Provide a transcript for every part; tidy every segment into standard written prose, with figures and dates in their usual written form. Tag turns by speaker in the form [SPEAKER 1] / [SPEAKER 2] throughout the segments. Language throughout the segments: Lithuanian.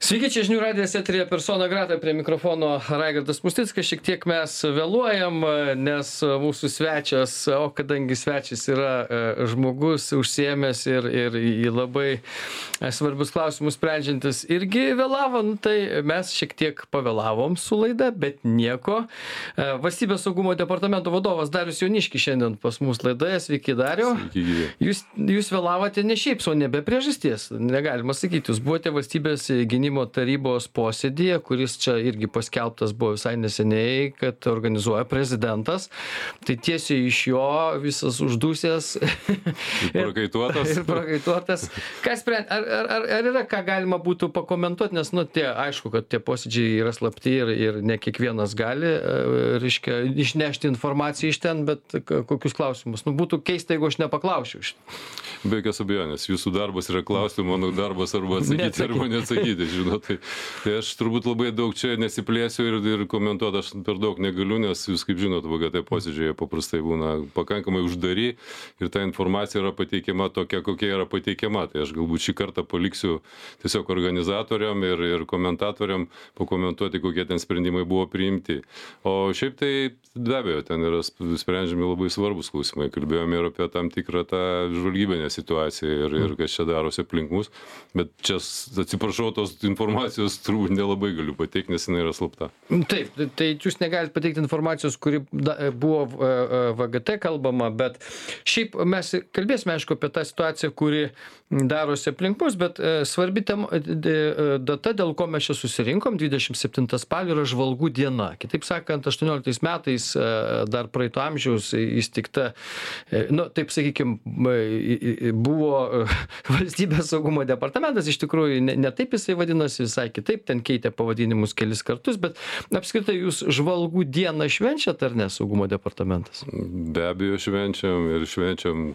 [SPEAKER 1] Sveiki, čia žinių radijas eteryje persona grata, prie mikrofono Raigardas Musnickas. Šiek tiek mes vėluojam, nes mūsų svečias, o kadangi svečias yra žmogus užsiėmęs ir į labai svarbius klausimus sprendžiantis, irgi vėlavo, tai mes šiek tiek pavėlavom su laida, bet nieko. Valstybės saugumo departamento vadovas Darius Jauniškis šiandien pas mus laidoje. Sveiki, Dariau.
[SPEAKER 2] Sveiki.
[SPEAKER 1] Jūs vėlavote ne šiaip, o ne be priežasties. Negalima sakyti, jūs buvote valstybės gynimo tarybos posėdyje, kuris čia irgi paskelbtas buvo visai neseniai, kad organizuoja prezidentas. Tai tiesiai iš jo visas uždusęs
[SPEAKER 2] ir
[SPEAKER 1] prakaituotas. Ar yra ką galima būtų pakomentuoti, nes, aišku, kad tie posėdžiai yra slapti ir ne kiekvienas gali, reiškia, išnešti informaciją iš ten, bet kokius klausimus. Būtų keista, jeigu aš nepaklausčiau šitą.
[SPEAKER 2] Be jokios abejonės. Jūsų darbas yra klausti, mano darbas arba atsakyti, arba neatsakyti, žinot. Tai aš turbūt labai daug čia nesiplėsiu ir komentuoti aš per daug negaliu, nes jūs, kaip žinot, VGT posėdžiai paprastai būna pakankamai uždari ir ta informacija yra pateikiama tokia, kokia yra pateikiama. Tai aš galbūt šį kartą paliksiu tiesiog organizatoriam ir komentatoriam pakomentuoti, kokie ten sprendimai buvo priimti. O šiaip tai be abejo, ten yra sprendžiami labai svarbus klausimai. Kalbėjome ir apie tam tikrą tą žvalgybinę situaciją ir kas čia darosi aplink mus. Bet čia, atsiprašau, tos informacijos turbūt nelabai galiu pateikti, nes jinai yra slapta.
[SPEAKER 1] Taip, tai jūs negalite pateikti informacijos, kuri buvo VGT kalbama, bet šiaip mes kalbėsime, aišku, apie tą situaciją, kuri darosi aplink mus, bet svarbi data, dėl ko mes čia susirinkom, 27 spalio yra žvalgų diena. Kitaip sakant, 18 metais dar praeito amžiaus įsteigta, taip sakykime, buvo valstybės saugumo departamentas, iš tikrųjų ne taip jisai vadinasi, visai kitaip, ten keitė pavadinimus kelis kartus, bet apskritai jūs žvalgų dieną švenčiat ar ne saugumo departamentas?
[SPEAKER 2] Be abejo švenčiam ir švenčiam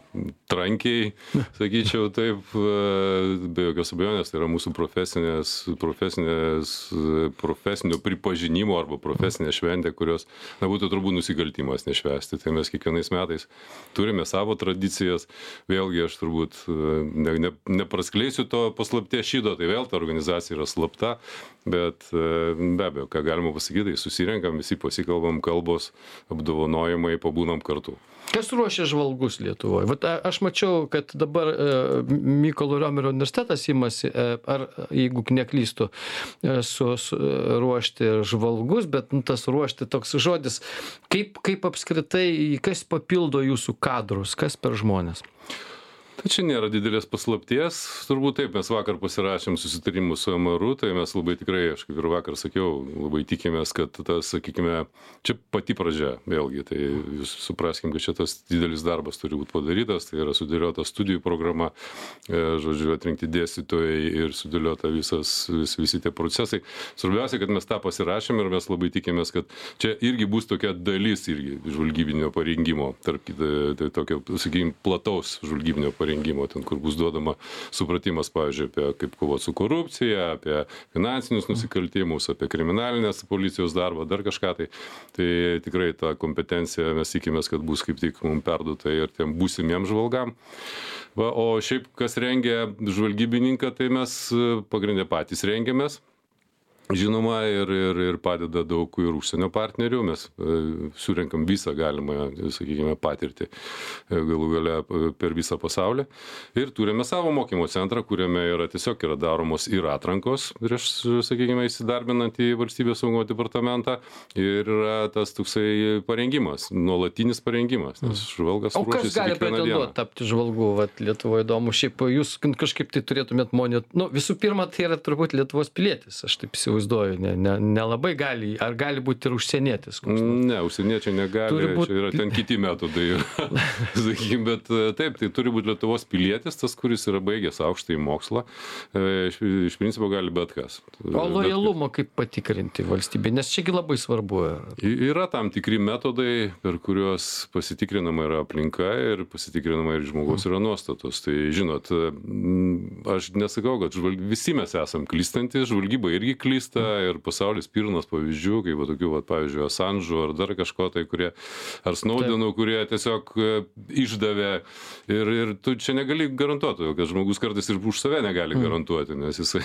[SPEAKER 2] trankiai, sakyčiau taip, be jokios abejonės, tai yra mūsų profesinio pripažinimo arba profesinė šventė, kurios būtų turbūt nusikaltimas nešvęsti. Tai mes kiekvienais metais turime savo tradicijas. Vėlgi aš turbūt nepraskleisiu to paslapties šydo, tai vėl ta organizacija yra slapta, bet be abejo, ką galima pasakyti, tai susirenkam, visi pasikalbam, kalbos, apdovanojimai, pabūnam kartu.
[SPEAKER 1] Kas ruošia žvalgus Lietuvoje? Vat aš mačiau, kad dabar Mykolo Riomerio universitetas imasi, ar jeigu neklystu, ruošti žvalgus, bet tas ruošti toks žodis, kaip apskritai, kas papildo jūsų kadrus, kas per žmonės?
[SPEAKER 2] Tai čia nėra didelės paslapties, turbūt taip, mes vakar pasirašėm susitarimus su MRU, tai mes labai tikrai, aš kaip ir vakar sakiau, labai tikimės, kad tas, sakykime, čia pati pradžia, vėlgi, tai jūs supraskim, kad čia tas didelis darbas turi būti padarytas, tai yra sudėliota studijų programa, žodžiu, atrinkti dėstytojai ir sudėliota visi tie procesai. Svarbiausia, kad mes tą pasirašėm ir mes labai tikimės, kad čia irgi bus tokia dalis irgi žvalgybinio parengimo, tai tokio, sakykime, plataus žvalgybinio parengimo, ten, kur bus duodama supratimas, pavyzdžiui, apie kaip kovoti su korupcija, apie finansinius nusikaltimus, apie kriminalinės policijos darbą, dar kažką tai. Tai tikrai ta kompetencija mes tikimės, kad bus kaip tik mums perduota ir tiem būsimiem žvalgam. O šiaip, kas rengia žvalgybininką, tai mes pagrindė patys rengiamės. Žinoma, ir padeda daug ir užsienio partnerių, mes surenkam visą galimą, sakykime, patirtį galų gale per visą pasaulį. Ir turime savo mokymo centrą, kuriame tiesiog yra daromos ir atrankos prieš, sakykime, įsidarbinant į valstybės saugumo departamentą. Ir yra tas toksai parengimas, nuolatinis parengimas, nes žvalgas ruošiasi kiekvieną dieną. O kas gali pretenduoti tapti žvalgu, Lietuvoje įdomu? Šiaip jūs kažkaip tai turėtumėt visų pirma, tai yra turbūt Lietuvos pilietis, aš taip įsivaizduoju, nelabai gali, ar gali būti ir užsienietis? Ne, užsieniečiai negali, čia yra ten kiti metodai. Sakykime, bet taip, tai turi būti Lietuvos pilietis, tas, kuris yra baigęs aukštąjį mokslą, iš principo gali bet kas.
[SPEAKER 1] O lojalumą kaip patikrinti valstybė, nes čiagi labai svarbu.
[SPEAKER 2] Yra tam tikri metodai, per kuriuos pasitikrinama yra aplinka ir pasitikrinama ir žmogaus yra nuostatos. Tai žinot, aš nesakau, kad visi mes esam klystantys, žvalgyba irgi klys, klysta ir pasaulis pilnas pavyzdžių, kaip va, tokių, va, pavyzdžiui, Assange'ų ar dar kažko tai, kurie, ar Snowdenų, kurie tiesiog išdavė ir tu čia negali garantuoti, kad žmogus kartais ir už save negali garantuoti, nes jisai,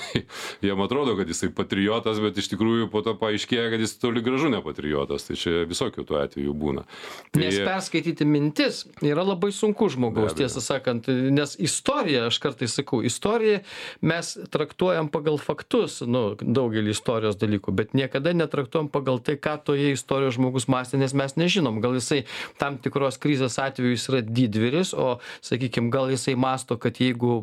[SPEAKER 2] jam atrodo, kad jisai patriotas, bet iš tikrųjų po to paaiškėja, kad jis toli gražu ne patriotas, tai čia visokių tų atvejų būna. Tai,
[SPEAKER 1] nes perskaityti mintis yra labai sunku žmogaus, tiesą sakant, nes istorija, aš kartais sakau, istoriją mes traktuojam pagal faktus, daugelį istorijos dalykų, bet niekada netraktuojam pagal tai, ką toje istorijoje žmogus mąstė, nes mes nežinom, gal jisai tam tikros krizės atveju jis yra didvyris, o, sakykime, gal jisai mąsto, kad jeigu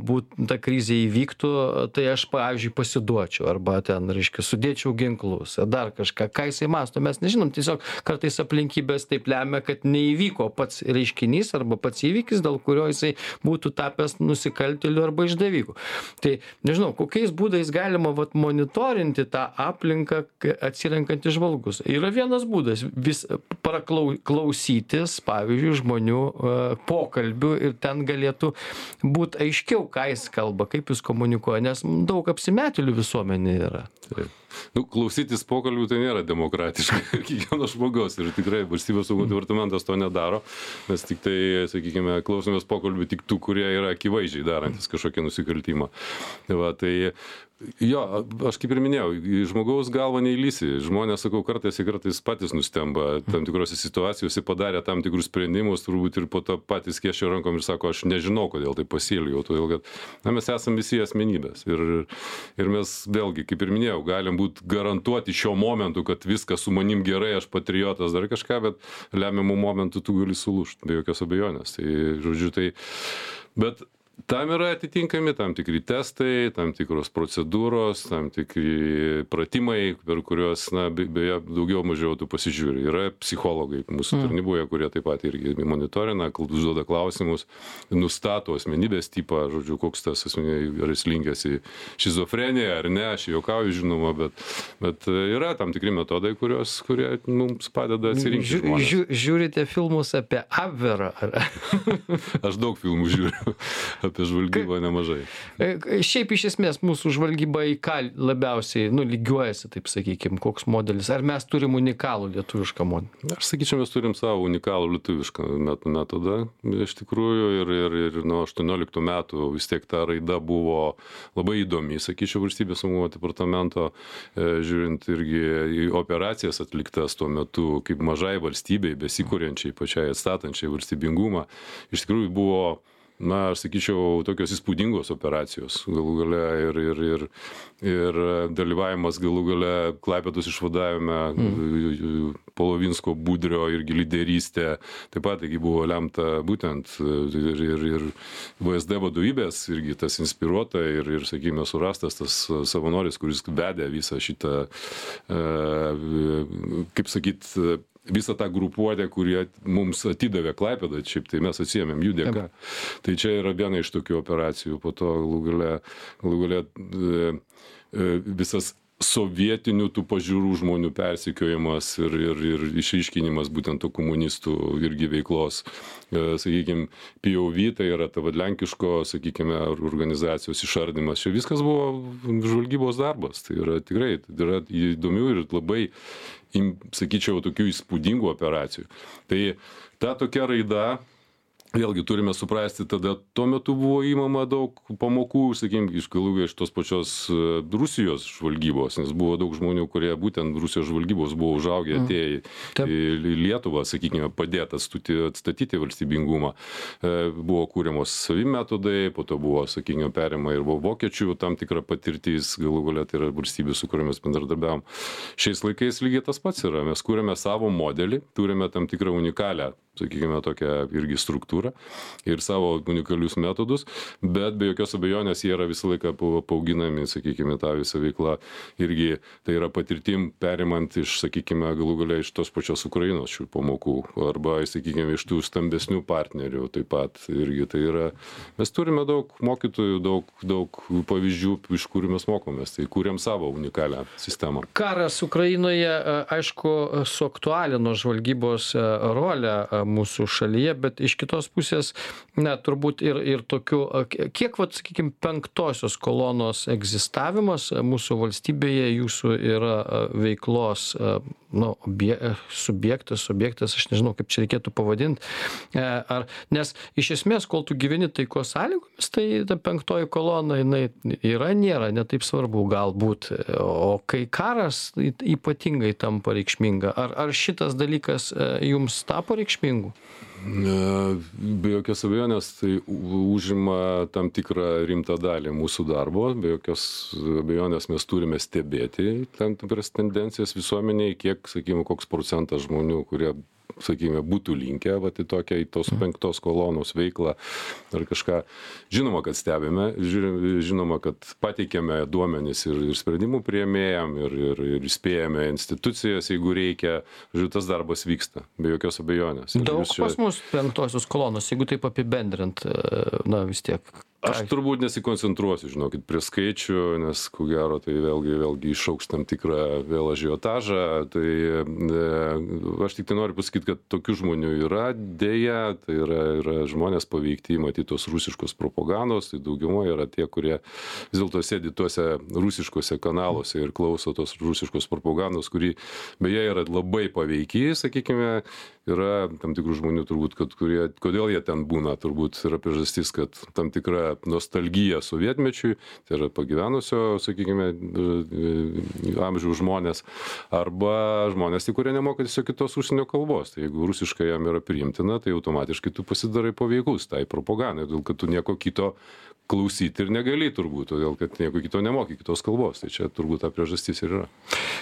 [SPEAKER 1] ta krizė įvyktų, tai aš, pavyzdžiui, pasiduočiau, arba ten, reiškia, sudėčiau ginklus, ar dar kažką, ką jisai mąsto, mes nežinom, tiesiog kartais aplinkybės taip lemia, kad neįvyko pats reiškinys arba pats įvykis, dėl kurio jisai būtų tapęs nusikaltėliu arba išdaviku. Tai, nežinau, kokiais būdais galima monitorinti tą aplinką atsirenkant iš žvalgus. Yra vienas būdas, vis klausytis, pavyzdžiui, žmonių pokalbių ir ten galėtų būti aiškiau, ką jis kalba, kaip jis komunikuoja, nes daug apsimetėlių visuomenė yra.
[SPEAKER 2] Taip. Klausytis pokalbių tai nėra demokratiška kiekvieno žmogaus ir tikrai valstybės saugumo departamentas to nedaro, mes tik tai, sakykime, klausomės pokalbių tik tų, kurie yra akivaizdžiai darantis kažkokį nusikaltimą. Tai jo, aš kaip ir minėjau, į žmogaus galvą neįlysi. Žmonės, sakau, kartais patys nustemba tam tikrose situacijose, padarė tam tikrus sprendimus, turbūt ir po to patys kiešia rankom ir sako, aš nežinau, kodėl tai pasielgiau, todėl kad mes esame visi asmenybės. Ir mes vėlgi, kaip ir minėjau, galim būti garantuoti šiuo momentu, kad viskas su manim gerai, aš patriotas, dar kažką, bet lemiamų momentų tu gali sulūžti, be jokios abejonės. Tai, žodžiu, bet tam yra atitinkami tam tikri testai, tam tikros procedūros, tam tikri pratimai, per kuriuos, beje, daugiau mažiau tu pasižiūri. Yra psichologai mūsų tarnyboje, kurie taip pat irgi monitorina, užduoda klausimus, nustato asmenybės tipą, žodžiu, koks tas asmenybė, ar jis linkęs į šizofreniją ar ne, aš juokauju, žinoma, bet yra tam tikri metodai, kurie mums padeda atsirinkti žmonės.
[SPEAKER 1] Žiūrite filmus apie Abverą?
[SPEAKER 2] Aš daug filmų žiūriu. Apie žvalgybą nemažai.
[SPEAKER 1] Šiaip iš esmės mūsų žvalgyba į ką labiausiai lygiuojasi, taip sakykime, koks modelis? Ar mes turim unikalų lietuvišką modelį?
[SPEAKER 2] Aš sakyčiau, mes turim savo unikalų lietuvišką metodą, iš tikrųjų, ir nuo 18 metų vis tiek ta raida buvo labai įdomi, sakyčiau, valstybės saugumo departamento, žiūrint irgi į operacijas atliktas tuo metu, kaip mažai valstybei, besikuriančiai, pačiai atstatančiai valstybingumą, iš tikrųjų buvo, aš sakyčiau, tokios įspūdingos operacijos galų gale ir dalyvavimas galų gale Klaipėdos išvadavime, Polovinsko, Budrio irgi lyderystė, taip pat taigi buvo lemta būtent ir VSD vadovybės irgi tas inspiruota ir sakykime, surastas tas savanoris, kuris vedė visą šitą, kaip sakyt, visą tą grupuotę, kurie mums atidavė Klaipėdą, šiaip tai mes atsiėmėm jų dėka. Tai čia yra viena iš tokių operacijų, po to galų gale visas sovietinių tų pažiūrų žmonių persekiojimas ir išryškinimas būtent to komunistų irgi veiklos, sakykime, POV, tai yra ta lenkiško, sakykime, organizacijos išardymas. Čia viskas buvo žvalgybos darbas, tai yra tikrai, tai yra įdomių ir labai, sakyčiau, tokių įspūdingų operacijų. Tai ta tokia raida, vėlgi turime suprasti, tada tuo metu buvo įmama daug pamokų, sakykime, iš galų iš tos pačios Rusijos žvalgybos, nes buvo daug žmonių, kurie būtent Rusijos žvalgybos buvo užaugę, atėję į Lietuvą, sakykime, padėti atstatyti valstybingumą. Buvo kūriamos savi metodai, po to buvo, sakykime, perima ir vokiečių tam tikra patirtis, galų galia tai yra valstybė, su kuriomis bendradarbiavom. Šiais laikais lygiai tas pats yra, mes kūrėme savo modelį, turime tam tikrą unikalią, sakykime, tokią irgi struktūrą ir savo unikalius metodus, bet be jokios abejonės jie yra visą laiką paauginami, sakykime, tą visą veiklą irgi, tai yra patirtim perimant iš, sakykime, galų galia iš tos pačios Ukrainos šių pamokų, arba, sakykime, iš tų stambesnių partnerių taip pat irgi, tai yra, mes turime daug mokytojų, daug pavyzdžių, iš kurių mes mokomės, tai kūrėm savo unikalią sistemą.
[SPEAKER 1] Karas Ukrainoje, aišku, suaktualino žvalgybos rolę mūsų šalyje, bet iš kitos pusės, na, turbūt ir tokių, kiek, vat, sakykime, penktosios kolonos egzistavimas mūsų valstybėje jūsų yra veiklos, nu, subjektas, aš nežinau, kaip čia reikėtų pavadinti, nes iš esmės, kol tu gyveni taikos sąlygomis, tai ta penktoji kolona, jinai yra, nėra, netaip svarbu galbūt, o kai karas ypatingai tampa reikšminga, ar šitas dalykas jums tapo reikšmingu?
[SPEAKER 2] Be jokios abejonės, tai užima tam tikrą rimtą dalį mūsų darbo, be jokios abejonės mes turime stebėti tam tikras tendencijas visuomeniai, kiek, sakykime, koks procentas žmonių, kurie, sakykime, būtų linkę į tokią, į tos penktos kolonos veiklą ar kažką. Žinoma, kad stebime, žinoma, kad pateikėme duomenis ir sprendimų priėmėjam, ir įspėjame institucijas, jeigu reikia. Žiūrėjau, tas darbas vyksta, be jokios abejonės.
[SPEAKER 1] Daug pas mus penktosios kolonos, jeigu taip apibendrint, na vis tiek.
[SPEAKER 2] Aš turbūt nesikoncentruosiu, žinokit, prie skaičių, nes, ko gero, tai vėlgi išaugs tam tikrą vėl ažiotažą. Tai aš tik tai noriu pasakyti, kad tokių žmonių yra, dėja, tai yra žmonės paveikti, matyti tos rusiškos propagandos, tai daugiaumo yra tie, kurie vis dėlto sėdi tuose rusiškose kanaluose ir klauso tos rusiškos propagandos, kuri beje yra labai paveikiai, sakykime. Yra tam tikrų žmonių turbūt, kodėl jie ten būna, turbūt yra priežastis, kad tam tikra nostalgija sovietmečiui, tai yra pagyvenusio, sakykime, amžiaus žmonės, arba žmonės, kurie nemoka tiesiog kitos užsienio kalbos. Tai jeigu rusiškai jam yra priimtina, tai automatiškai tu pasidarai paveikus tai propagandai, todėl kad tu nieko kito klausyti ir negali turbūt, todėl kad nieko kito nemoki kitos kalbos. Tai čia turbūt ta priežastis ir yra.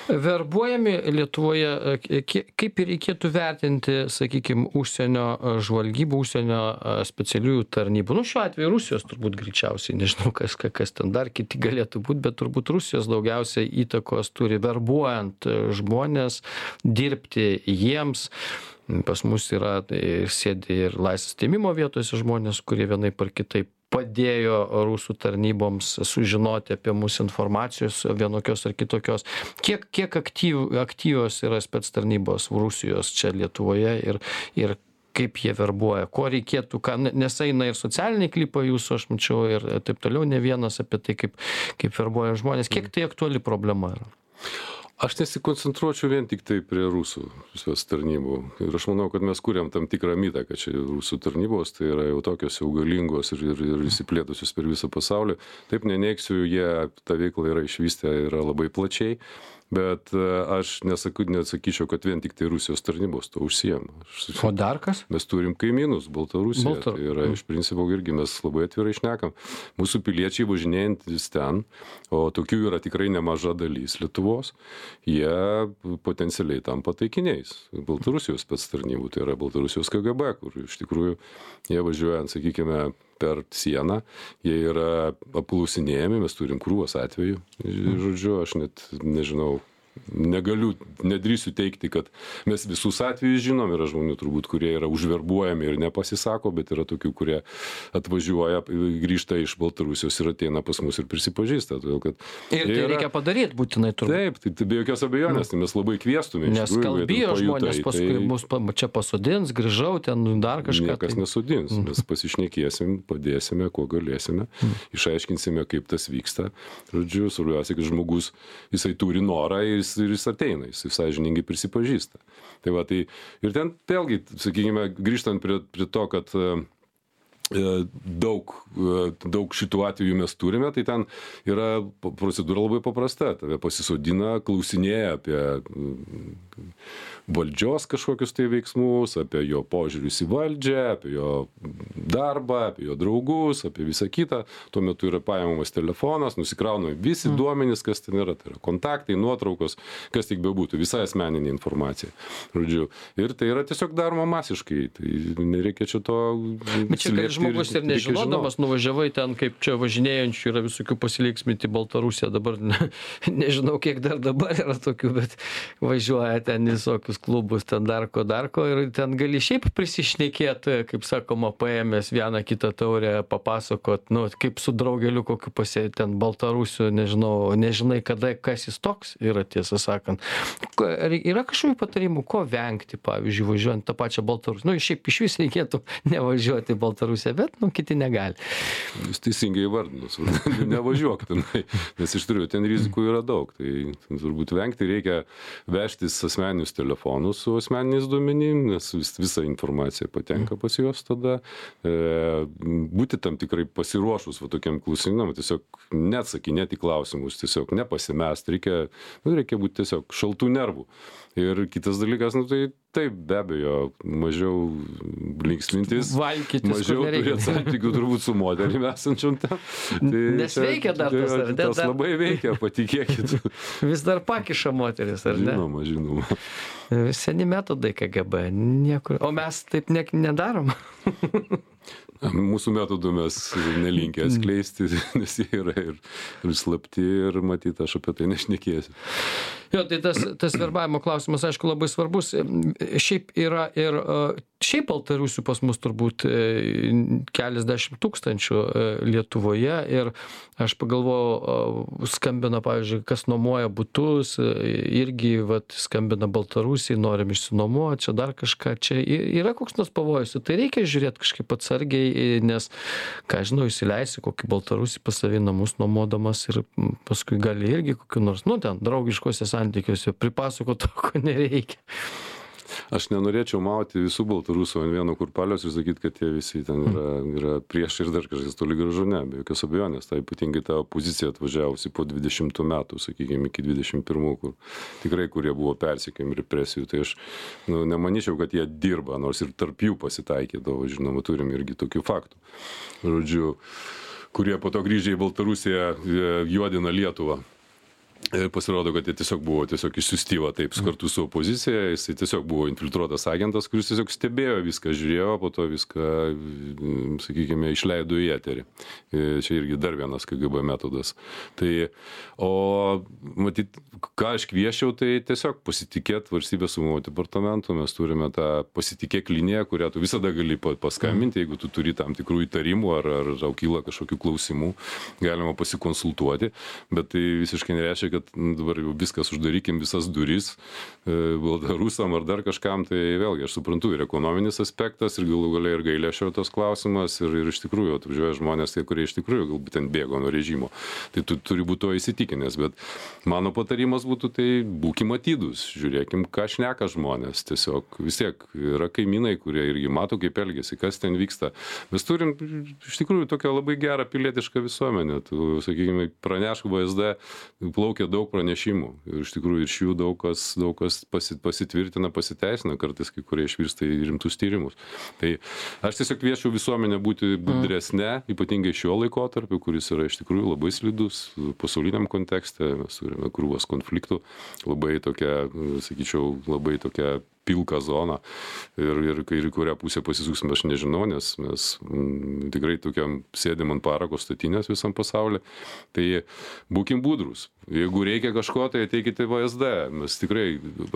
[SPEAKER 1] Verbuojami Lietuvoje, kaip ir reikėtų vertinti, sakykime, užsienio žvalgybų, užsienio specialiųjų tarnybų. Nu, šiuo atveju Rusijos turbūt greičiausiai, nežinau, kas ten dar kiti galėtų būti, bet turbūt Rusijos daugiausiai įtakos turi verbuojant žmonės, dirbti jiems. Pas mus yra, sėdi ir laisvės atėmimo vietose žmonės, kurie vienaip ar kitaip padėjo rusų tarnyboms sužinoti apie mūsų informacijos vienokios ar kitokios. Kiek aktyvios yra spec tarnybos Rusijos čia Lietuvoje ir kaip jie verbuoja, ko reikėtų, nes eina ir socialiniai klipai jūsų, aš mačiau, ir taip toliau, ne vienas apie tai, kaip verbuoja žmonės. Kiek tai aktuali problema yra?
[SPEAKER 2] Aš nesikoncentruočiau vien tik tai prie rusų tarnybų. Ir aš manau, kad mes kuriam tam tikrą mitą, kad čia rusų tarnybos tai yra jau tokios jau galingos ir įsiplėtusios per visą pasaulį. Taip neneiksiu, jie tą veiklą yra išvystę, yra labai plačiai. Bet aš nesakyčiau, kad vien tik tai Rusijos tarnybos to užsiema.
[SPEAKER 1] O dar kas?
[SPEAKER 2] Mes turim kaimynus, Baltarusiją. Tai yra iš principo irgi mes labai atvirai šnekam. Mūsų piliečiai važinėjantis ten, o tokių yra tikrai nemaža dalis Lietuvos, jie potencialiai tampa taikiniais Baltarusijos spec tarnybų. Tai yra Baltarusijos KGB, kur iš tikrųjų jie važiuojant, sakykime, per sieną, jie yra apklausinėjami, mes turim krūvas atvejų. Žodžiu, aš net nežinau, nedrįsiu teikti, kad mes visus atvejus žinom, yra žmonių turbūt, kurie yra užverbuojami ir nepasisako, bet yra tokių, kurie atvažiuoja, grįžta iš Baltarusijos ir ateina pas mus ir prisipažįsta. Todėl, kad
[SPEAKER 1] ir tai reikia padaryti būtinai turbūt.
[SPEAKER 2] Taip, tai be jokios abejonės, tai mes labai kviestume.
[SPEAKER 1] Nes kalbėjo žmonės, paskui mus čia pasodins, grįžau, ten dar kažką.
[SPEAKER 2] Niekas nesodins, mes pasišnekėsim, padėsime, kuo galėsime, išaiškinsime, kaip tas vyksta. Žodžiu, svarbiausia, kad žmogus, jisai turi norą ir jis ateina, jis sąžiningai prisipažįsta. Tai va, tai ir ten vėlgi, sakykime, grįžtant prie to, kad daug šitų atvejų mes turime, tai ten yra procedūra labai paprasta. Tave pasisodina, klausinėja apie valdžios kažkokius tai veiksmus, apie jo požiūrius į valdžią, apie jo darbą, apie jo draugus, apie visą kitą. Tuo metu yra paimamas telefonas, nusikrauna visi duomenys, kas ten yra. Tai yra kontaktai, nuotraukos, kas tik bebūtų, visa asmeninė informacija. Žodžiu. Ir tai yra tiesiog daroma masiškai. Tai nereikia čia to.
[SPEAKER 1] Bet čia žmogus ir nežinodamas nuvažiavai ten, kaip čia važinėjančių yra visokių pasiliksminti Baltarusiją, dabar nežinau, kiek dar dabar yra tokių, bet važiuoja ten visokius klubus, ten dar ko ir ten gali šiaip prisišnekėti, kaip sakoma, paėmęs vieną kitą taurę, papasakot, nu, kaip su draugeliu kokiu ten Baltarusiu, nežinai kada, kas jis toks yra, tiesą sakant. Yra kažkokių patarimų, ko vengti, pavyzdžiui, važiuojant tą pačią Baltarusiją. Nu, šiaip iš vis reikėtų nevažiuoti į Baltarusiją, bet, kiti negali.
[SPEAKER 2] Jūs teisingai įvardinus, nevažiuok tenai, nes iš tikrųjų ten rizikų yra daug. Tai turbūt vengti reikia vežtis asmeninius telefonus su asmeniniais duomenim, nes visa informacija patenka pas juos tada. Būti tam tikrai pasiruošus tokiam klausimam, tiesiog neatsakinėti klausimus, tiesiog nepasimest, reikia būti tiesiog šaltų nervų. Ir kitas dalykas, tai taip, be abejo, mažiau linksmintis, mažiau turėti santykių turbūt su moterim esančiom ten.
[SPEAKER 1] Nes veikia dar tas, ar ne?
[SPEAKER 2] Tas labai veikia, patikėkit.
[SPEAKER 1] Vis dar pakiša moteris, ar ne?
[SPEAKER 2] Žinoma.
[SPEAKER 1] Seni metodai KGB, niekur. O mes taip nedarom.
[SPEAKER 2] Mūsų metodų mes nelinkę atskleisti, nes jie yra ir slapti ir matyt, aš apie tai nešnekėsiu.
[SPEAKER 1] Jo, tai tas verbavimo klausimas, aišku, labai svarbus. Šiaip yra ir šiaip Baltarusių pas mus turbūt keliasdešimt tūkstančių Lietuvoje ir aš pagalvojau, skambina, pavyzdžiui, kas nuomoja butus, irgi skambina Baltarusiai, norim išsinuomoti, čia dar kažką, čia yra koks nors pavojus, tai reikia žiūrėti kažkaip atsargiai, nes, ką žinau, įsileisi kokį Baltarusį pas savį namus nuomodamas ir paskui gali irgi kokiu nors, ten draugiškose santykiuose pripasako to, ko nereikia.
[SPEAKER 2] Aš nenorėčiau mauti visų Baltarusų ant vieno kurpalios ir sakyti, kad jie visi ten yra prieš ir dar kažkas toli gražu, ne, be jokios abejonės. Tai ypatingai ta opozicija atvažiavusi po 20 metų, sakykime, iki 21, kur kurie buvo persekiojami represijų. Tai aš nemanyčiau, kad jie dirba, nors ir tarp jų pasitaikydavo, žinoma, turim irgi tokių faktų. Žodžiu, kurie po to grįžę į Baltarusiją juodina Lietuvą. Ir pasirodo, kad jie tiesiog buvo išsiustyva taip kartu su opozicija, jisai tiesiog buvo infiltruotas agentas, kuris tiesiog stebėjo viską, žiūrėjo, po to viską, sakykime, išleido į eterį. Čia irgi dar vienas KGB metodas. Tai, matyt, ką aš kvieščiau, tai tiesiog pasitikėti Valstybės saugumo departamentu, mes turime tą pasitikėk liniją, kurią tu visada gali paskambinti, jeigu tu turi tam tikrų įtarimų ar tau kyla kažkokių klausimų, galima pasikonsultuoti, bet tai visiškai nereiškia, kad dabar jau viskas uždarykim, visas duris Baltarusam ar dar kažkam, tai vėlgi aš suprantu ir ekonominis aspektas ir galų gale ir gailesčio tas klausimas ir iš tikrųjų atvažiuoja žmonės, kurie iš tikrųjų galbūt ten bėgo nuo režimo. Tai tu turi būti to įsitikinęs, bet mano patarimas būtų, tai būkim atidūs, žiūrėkim, ką šneka žmonės, tiesiog vis tiek yra kaimynai, kurie irgi mato, kaip elgiasi, kas ten vyksta. Mes turim iš tikrųjų tokią labai gerą pilietišką visuomenę, tu, sakykime, pranešk VSD, plaukia daug pranešimų ir iš tikrųjų iš jų daug kas pasitvirtina, pasiteisina, kartais kai kurie išvirsta į rimtus tyrimus. Tai aš tiesiog kviečiu visuomenę būti budresne, ypatingai šiuo laikotarpiu, kuris yra iš tikrųjų labai slidus pasauliniam kontekste, mes turime krūvas konfliktų, labai tokia, sakyčiau, labai tokia pilka zona ir kurią pusę pasisuksime, aš nežinau, nes mes tikrai tokiam sėdim ant parako statinės visam pasaulyje. Tai būkim budrus. Jeigu reikia kažko, tai ateikite į VSD. Mes tikrai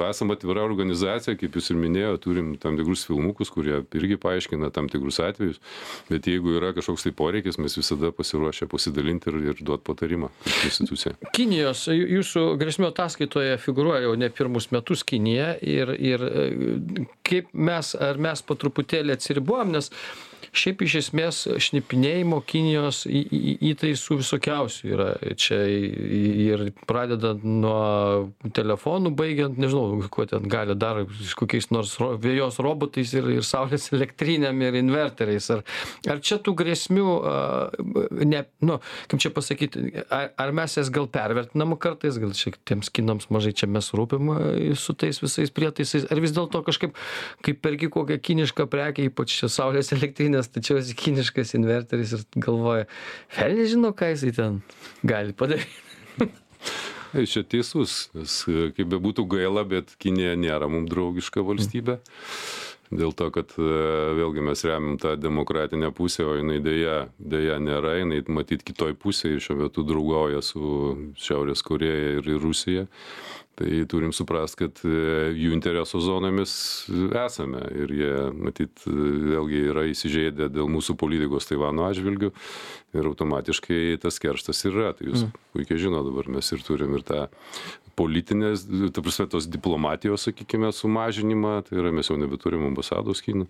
[SPEAKER 2] esame atvira organizacija, kaip jūs ir minėjote, turim tam tikrus filmukus, kurie irgi paaiškina tam tikrus atvejus, bet jeigu yra kažkoks tai poreikis, mes visada pasiruošę pasidalinti ir duoti patarimą kaip institucija.
[SPEAKER 1] Kinijos, jūsų grėsmių ataskaitoje figūruoja jau ne pirmus metus Kinija ir kaip mes po truputėlį atsiribuojam, nes šiaip iš esmės šnipinėjimo Kinijos įtaisų visokiausių yra. Čia ir pradedant nuo telefonų, baigiant, nežinau, kuo ten gali dar kokiais nors vėjos robotais ir saulės elektrinėm ir inverteriais. Ar čia tų grėsmių, kaip čia pasakyti, ar mes jas gal pervertinam kartais, gal šiek tiems kinams mažai čia mes rūpim su tais visais prietaisais, ar vis dėlto kažkaip, kaip perki kokią kinišką prekę, ypač saulės elektrinės, tačiau esi kiniškas inverteris ir galvoja, velniai žino, ką jisai ten gali padaryti.
[SPEAKER 2] Čia teisus, nes kaip bebūtų gaila, bet Kinija nėra mums draugiška valstybė. Dėl to, kad vėlgi mes remiam tą demokratinę pusę, o jinai dėja nėra, jinai matyt kitoj pusėje šiuo metu draugauja su Šiaurės Korėja ir Rusija. Tai turim suprast, kad jų interesų zonomis esame ir jie, matyt, vėlgi yra įsižeidę dėl mūsų politikos Taivano atžvilgių ir automatiškai tas kerštas yra. Tai jūs puikiai žino, dabar mes ir turim ir tą politinės, ta prasme, tos diplomatijos, sakykime, sumažinimą, tai yra mes jau nebeturim ambasados Kinų.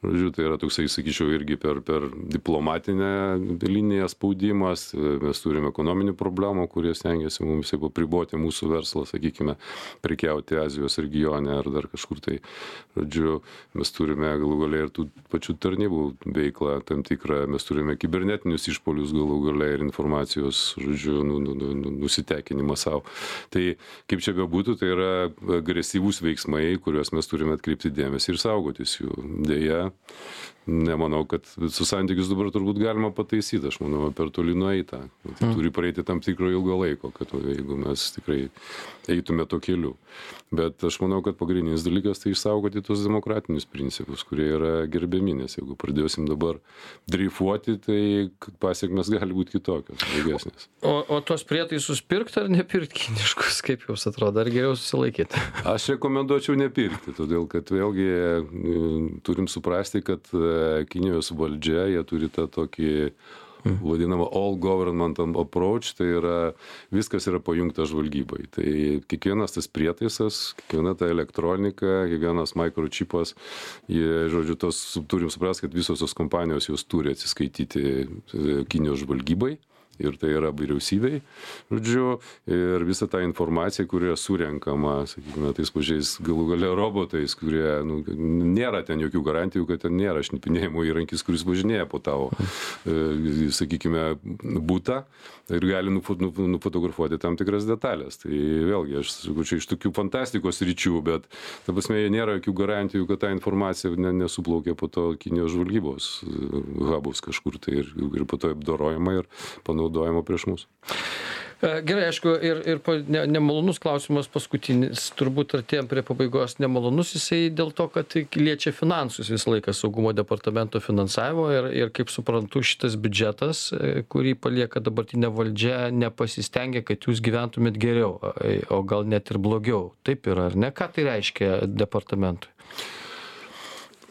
[SPEAKER 2] Žodžiu, tai yra toksai, sakyčiau, irgi per diplomatinę liniją spaudimas, mes turim ekonominių problemų, kurie stengiasi mums jau apriboti mūsų verslą, sakykime, prekiauti Azijos regione ar dar kažkur tai. Žodžiu, mes turime galų gale ir tų pačių tarnybų veiklą tam tikrą, mes turime kibernetinius išpolius galų gale ir informacijos, žodžiu, nusitekinimą savo. Tai kaip čia bebūtų, tai yra agresyvūs veiksmai, kuriuos mes turime atkreipti dėmesį ir saugotis jų. Deja, nemanau, kad visus santykius dabar turbūt galima pataisyti, aš manau, per toli nueita. Tai turi praeiti tam tikro ilgo laiko, kad jeigu mes tikrai eitume to keliu. Bet aš manau, kad pagrindinis dalykas tai išsaugoti tos demokratinius principus, kurie yra gerbiami, nes jeigu pradėsim dabar dreifuoti, tai pasiekmes gali būti kitokios, blogesnės.
[SPEAKER 1] O tos prietaisus pirkti ar nepirkti kiniškus, kaip jums atrodo, ar geriau susilaikyti?
[SPEAKER 2] Aš rekomenduočiau nepirkti, todėl kad vėlgi turim suprasti, kad Kinijos valdžia, jie turi tą tokį vadinamą all government approach, tai yra viskas yra pajungta žvalgybai. Tai kiekvienas tas prietaisas, kiekviena ta elektronika, kiekvienas microchipas, jie, žodžiu, turim suprasti, kad visos tos kompanijos jos turi atsiskaityti Kinijos žvalgybai. Ir tai yra vyriausybei, žodžiu, ir visa ta informacija, kuri yra surenkama, sakykime, tais pačiais galų gale robotais, kurie, nėra ten jokių garantijų, kad ten nėra šnipinėjimo įrankis, kuris važinėja po tavo, sakykime, butą ir gali nufotografuoti tam tikras detalės. Tai vėlgi, aš sakau, čia iš tokių fantastikos ryčių, bet, ta prasme, nėra jokių garantijų, kad ta informacija nesuplaukia po to Kinijos žvalgybos hubus kažkur tai ir po to apdorojama ir panaudojama prieš mus.
[SPEAKER 1] Gerai, aišku, ir nemalonus klausimas paskutinis, turbūt artėjom prie pabaigos, nemalonus jisai dėl to, kad liečia finansus visą laiką saugumo departamento finansavimo ir kaip suprantu, šitas biudžetas, kurį palieka dabartinė valdžia, nepasistengia, kad jūs gyventumėt geriau, o gal net ir blogiau. Taip yra, ar ne? Ką tai reiškia departamentui?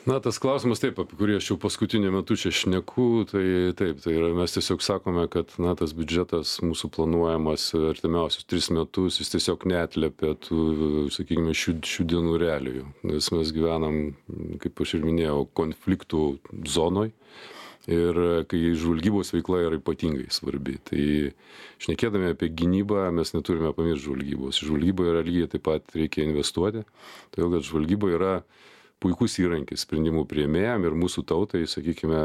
[SPEAKER 2] Na, tas klausimas taip, apie kurį aš jau paskutiniu metu čia šneku, tai taip, tai yra, mes tiesiog sakome, kad, na, tas biudžetas mūsų planuojamas artimiausius 3 metus, jis tiesiog neatliepia tų, sakykime, šių dienų realijų, nes mes gyvenam, kaip aš ir minėjau, konfliktų zonoj. Ir kai žvalgybos veikla yra ypatingai svarbi, tai šnekėdami apie gynybą mes neturime pamiršti žvalgybos. Žvalgyba yra lygiai taip pat reikia investuoti, todėl kad žvalgyba yra puikus įrankis sprendimų priėmėjam ir mūsų tautai, sakykime,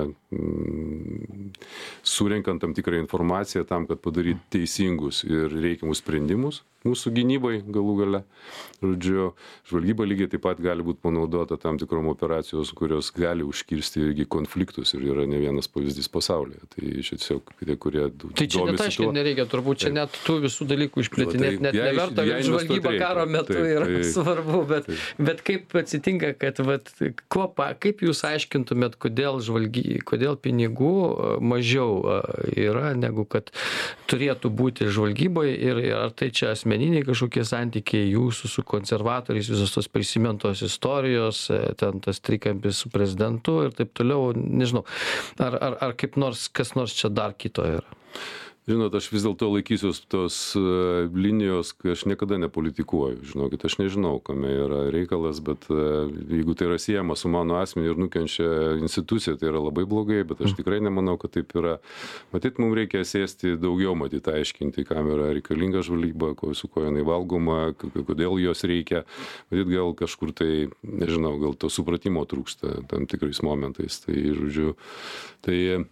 [SPEAKER 2] surenkant tam tikrą informaciją tam, kad padaryti teisingus ir reikiamus sprendimus mūsų gynybai galų gale. Žodžiu, žvalgyba lygiai taip pat gali būti panaudota tam tikrom operacijos, kurios gali užkirsti irgi konfliktus ir yra ne vienas pavyzdys pasaulyje. Tai čia tiesiog tie, kurie
[SPEAKER 1] tai čia net aiškiai nereikia, turbūt čia net tų visų dalykų išplėtinėti, net neverta, kad žvalgyba karo metu yra svarbu, bet kaip atsitinka, kad kaip jūs aiškintumėt, kodėl pinigų mažiau yra, negu kad turėtų būti žvalgybai ir ar tai čia asmeniniai kažkokie santykiai jūsų su konservatoriais, visos tos prisimintos istorijos, ten tas trikampis su prezidentu ir taip toliau, nežinau, ar kaip nors, kas nors čia dar kito yra?
[SPEAKER 2] Žinot, aš vis dėlto laikysiuos tos linijos, kai aš niekada nepolitikuoju. Žinokit, aš nežinau, kame yra reikalas, bet jeigu tai yra siejama su mano asmeniu ir nukenčia institucija, tai yra labai blogai, bet aš tikrai nemanau, kad taip yra. Matyt, mums reikia sėsti daugiau, matyt, aiškinti, kam yra reikalinga žvalgyba, su ko jinai valgoma, kodėl jos reikia. Matyt, gal kažkur tai, nežinau, gal to supratimo trūksta tam tikrais momentais. Tai, žodžiu, tai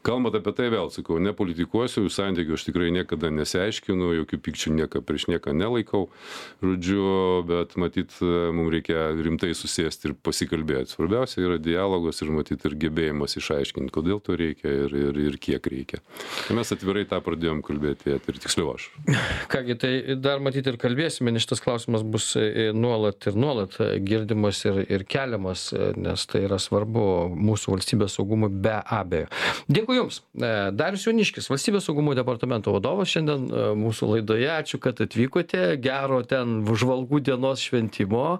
[SPEAKER 2] Kalbant apie tai vėl, sakau, nepolitikuosiu, santykių aš tikrai niekada nesiaiškinu, jokių pykčių prieš nieką nelaikau, žodžiu, bet matyt, mums reikia rimtai susėsti ir pasikalbėti. Svarbiausia yra dialogas ir matyt ir gebėjimas išaiškinti, kodėl to reikia ir kiek reikia. Mes atvirai tą pradėjom kalbėti ir tiksliau aš.
[SPEAKER 1] Kągi, tai dar matyti ir kalbėsime, nes šitas klausimas bus nuolat girdimas ir keliamas, nes tai yra svarbu mūsų valstybės saugumui be abejo. Dėkui Jums. Darius Jauniškis, Valstybės saugumo departamento vadovas šiandien mūsų laidoje. Ačiū, kad atvykote. Gero ten žvalgų dienos šventimo.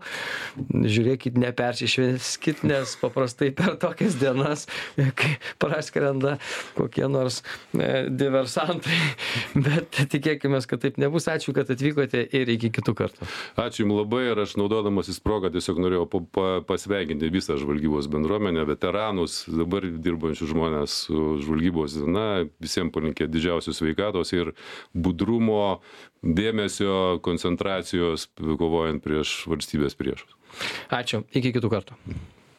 [SPEAKER 1] Žiūrėkit, nepersišvenskit, nes paprastai per tokias dienas, kai praskrenda kokie nors diversantai. Bet tikėkime, kad taip nebus. Ačiū, kad atvykote ir iki kitų kartų.
[SPEAKER 2] Ačiū Jums labai ir aš naudodamasis progą tiesiog norėjau pasveikinti visą žvalgybos bendruomenę, veteranus, dabar dirbančius žmonės su žvalgybos diena, visiems palinkėti didžiausios sveikatos ir budrumo, dėmesio, koncentracijos, kovojant prieš valstybės priešus.
[SPEAKER 1] Ačiū, iki kitų kartų.